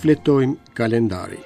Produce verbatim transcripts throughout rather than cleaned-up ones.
Shfletojmë kalendarin.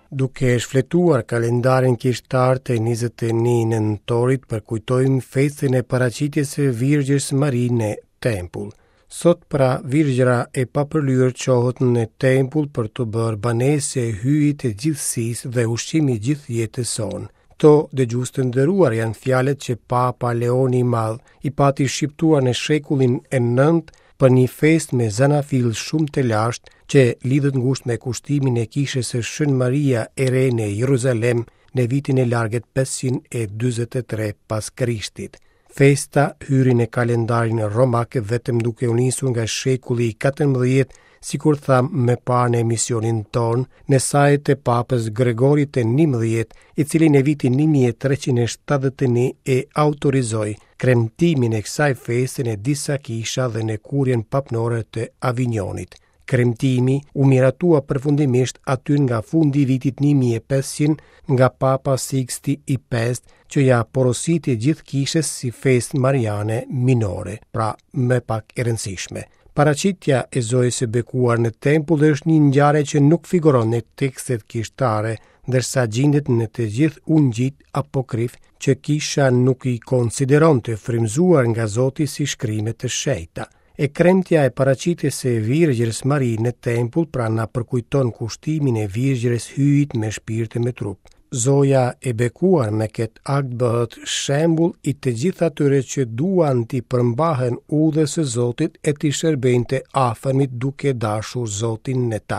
Duke shfletuar kalendarin kishtar të njëzet e një nëntorit, përkujtojmë festën e paraqitjes së Virgjës Mari në tempull. Sot pra Virgjëra e papërlyer çohet në tempull për të bërë banesë e hyjit të gjithësisë dhe ushqimi i gjithë jetës sonë. Këto, dëgjues të nderuar, janë fjalët që Papa Leoni i Madh i pati shqiptuar në shekullin e nëntë për një festë me zanafillë shumë të lashtë që lidhet ngushtë me kushtimin e kishës së Shën Maria e Re në Jeruzalem në vitin e largët pesëqind e dyzet e tre pas Krishtit. Festa hyri në kalendarin romak vetëm duke u nisur nga shekulli i katërmbëdhjetë, sikur tham më parë në emisionin tonë, në saje të Papës Gregorit të njëmbëdhjetë, i cili në vitin një mijë e treqind e shtatëdhjetë e një e autorizoi kremtimin e kësaj feste në disa kisha dhe në kurjen papnore të Avignonit. Kremtimi u miratua përfundimisht aty nga fundi i vitit një mijë e pesëqind nga Papa Sixti i pestë, që ja porositi gjithë kishës si festë mariane minore, pra më pak e rëndësishme. Paraqitja e Zojës së Bekuar në tempull është një ngjarje që nuk figuron në tekstet kishtare, ndërsa gjendet në të gjithë ungjit apokrif që kisha nuk i konsideron të frymëzuar nga Zoti si shkrime të shenjta. E kremtja e paraqitjes së Virgjërës Mari në tempull pra na përkujton kushtimin e Virgjërës Hyjit me shpirt e me trup. Zoja e bekuar me këtë akt bëhet shembull i të gjithë atyre që duan t'i përmbahen udhës së Zotit e t'i shërbejnë të afërmit duke dashur Zotin në ta.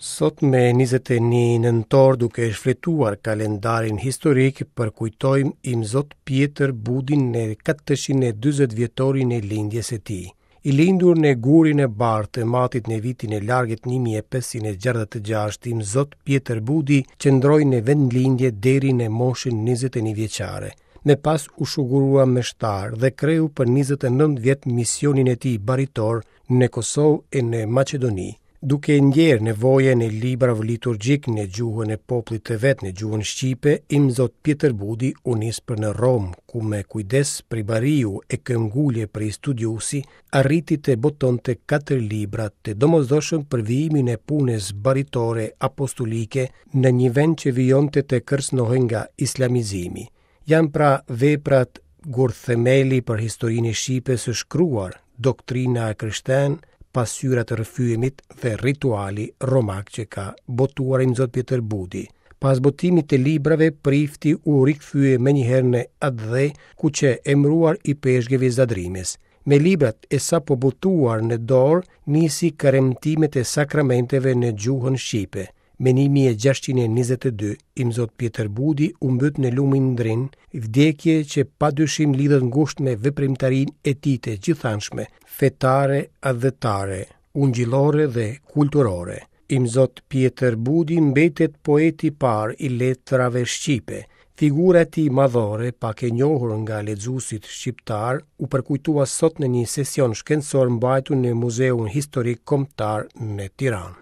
Sot me njëzet e një nëntor, duke shfletuar kalendarin historik, përkujtojmë Imzot Pjetër Budin në katërqind e dyzet vjetorin e lindjes së tij. I lindur në Gurin e Bardhë të Matit në vitin e largët një mijë e pesëqind e gjashtëdhjetë e gjashtë, Imzot Pjetër Budi qëndroi në vendlindje deri në moshën njëzet e një vjeçare. Më pas u shugurua meshtar dhe kreu për njëzet e nëntë vjet misionin e tij baritor në Kosovë e në Maqedoni. Duke ndjerë nevojën e librave liturgjik në gjuhën e popullit të vet, në gjuhën shqipe, Imzot Pjetër Budi u nis për në Romë, ku me kujdes prej bariu e këngulje prej studiusi, arriti të botonte katër libra të domosdoshëm për vijimin e punës baritore apostolike në një vend që vijonte të kërcënohej nga islamizimi. Janë pra veprat gurthemeli për historinë e shqipes së shkruar, doktrina e krishten, pasqyrat e rrëfyemit dhe rituali romak që ka botuar Imzot Pjetër Budi. Pas botimit të librave, prifti u rikthye menjëherë në atdhe, ku qe emëruar i peshkëv i Zadrimës. Me librat e sapo botuar në dorë, nisi kremtimet e sakramenteve në gjuhën shqipe. Me një mijë e gjashtëqind e njëzet e dy, Imzot Pjetër Budi u mbyt në lumin Drin, vdekje që padyshim lidhet ngushtë me veprimtarinë e tij të gjithanshme, fetare, atdhetare, ungjillore dhe kulturore. Imzot Pjetër Budi mbetet poeti i parë i letrave shqipe. Figura e tij madhore, pak e njohur nga lexuesit shqiptar, u përkujtua sot në një sesion shkencor mbajtur në Muzeun Historik Kombëtar në Tiranë.